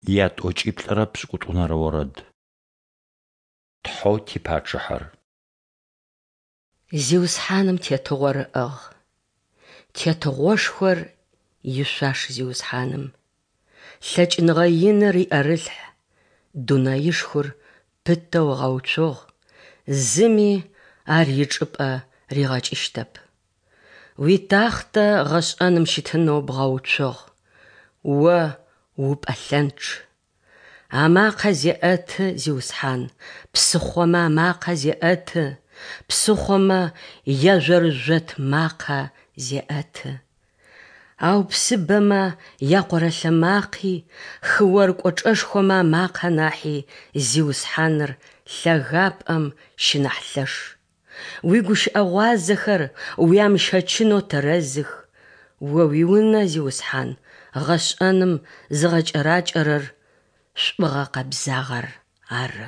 Ятӏокӏиплӏырэ пшӏыкӏутӏунэрэ орэд. Тхьэу ти Пачъыхьэр. Зиусхьаным тетыгъор ыӏыгъ, Тетыгъошхор ишъуаш Зиусхьаным. Лъэкӏыныгъэ иныр иӏэрылъхь, Дунаишхор пытэу ыгъэуцугъ, зыми ар ичӏыпӏэ ригъэкӏыщтэп. Уитахътэ гъэшӏэным щытынэу бгъэуцугъ, О упӏэлъэнчъ. Амакъэ зеӏэты, Зиусхьан, псыхъомэ амакъэ зеӏэты, псыхъомэ яжъорыжъот макъэ зеӏэты. Ау псыбэмэ якъорэлъэ макъи, хыор кӏочӏэшхомэ амакъэ нахьи Зиусхьаныр лъэгапӏэм щынахь лъэш. Уигущыӏэ гъуазэхэр уямыщэчынэу тэрэзых, О уиунэ, Зиусхьан, гъэшӏэным зыгъэкӏэракӏэрэр шӏугъэ-къэбзагъэр ары.